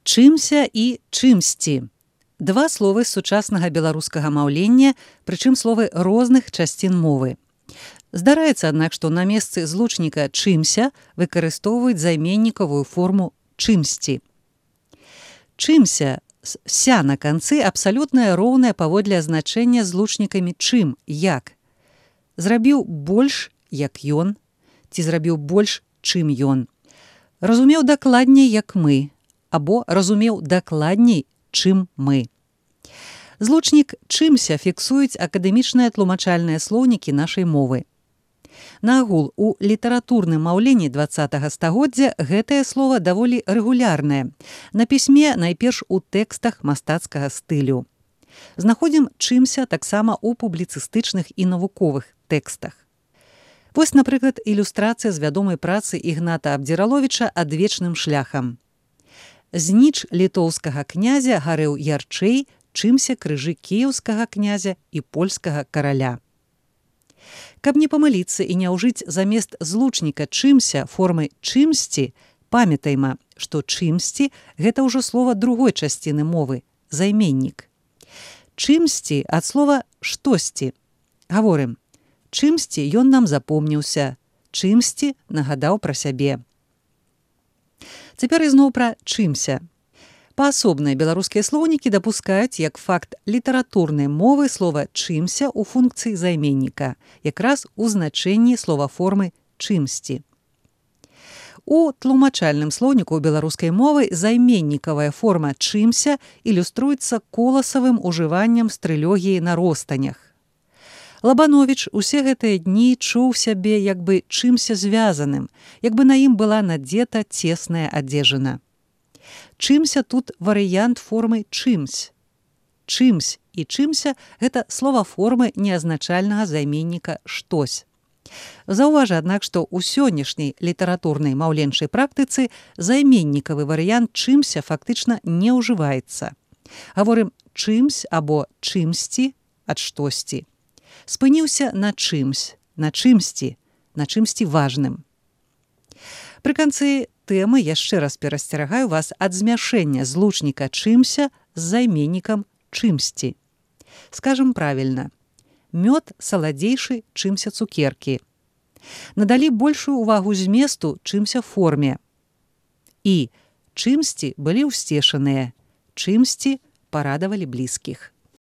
Чымся і чымсьці. Два словы з сучаснага беларускага маўлення, прычым словы розных часцін мовы. Здараецца, аднак, што на месцы злучніка чымся выкарыстоўваюць займеннікавую форму чымсьці. Чымся з ся на канцы абсалютна роўнае паводле азначэння злучнікамі чым, як. Зрабіў больш, як ён, ці зрабіў больш, чым ён. Разумеў дакладней, як мы, або разумеў дакладней, чым мы. Злучнік чымся фіксуюць акадэмічныя тлумачальныя слоўнікі нашай мовы. Наагул, у літаратурным маўленні 20-га стагоддзя гэтае слова даволі рэгулярнае. На пісьме найперш у тэкстах мастацкага стылю. Знаходзім чымся таксама ў публіцыстычных і навуковых тэкстах. Вось, напрыклад, ілюстрацыя з вядомай працы Ігната Абдзіраловіча «Адвечным шляхам». Зніч літоўскага князя гарэў ярчэй, чымся крыжы кіеўскага князя і польскага караля. Каб не памыліцца і не ўжыць замест злучніка чымся формы чымсьці, памятайма, што чымсьці – гэта ўжо слова другой часціны мовы – займеннік. Чымсьці ад слова штосьці. Гаворым, чымсьці ён нам запомніўся, чымсьці нагадаў пра сябе. Цяпер ізноў пра чымся. Паасобныя беларускія слоўнікі дапускаюць як факт літаратурнай мовы слова чымся ў функцыі займенніка, якраз у значэнні словаформы чымсьці. У тлумачальным слоўніку беларускай мовы займеннікавая форма чымся ілюструецца коласавым ужываннем стрылогіі на ростанях. Лабановіч усе гэтыя дні чуў сябе як бы чымся звязаным, як бы на ім была надзета цесная адзежына. Чымся тут варыянт формы чымсь. Чымсь і чымся – гэта словаформы неазначальнага займенніка штось. Заўважа, аднак, што ў сённяшняй літаратурнай маўленчай практыцы займеннікавы варыянт чымся фактычна не ўжываецца. Гаворым чымсь або чымсьці ад штосьці. Спыніўся на чымсь, на чымсьці важным. Пры канцы тэмы яшчэ раз перасцерагаю вас ад змяшэння злучніка чымся з займеннікам чымсьці. Скажам правільна. Мёд саладзейшы, чымся цукеркі. Надалі большую увагу зместу, чымся форме. І чымсьці былі ўсцешаныя, чымсьці парадавалі блізкіх.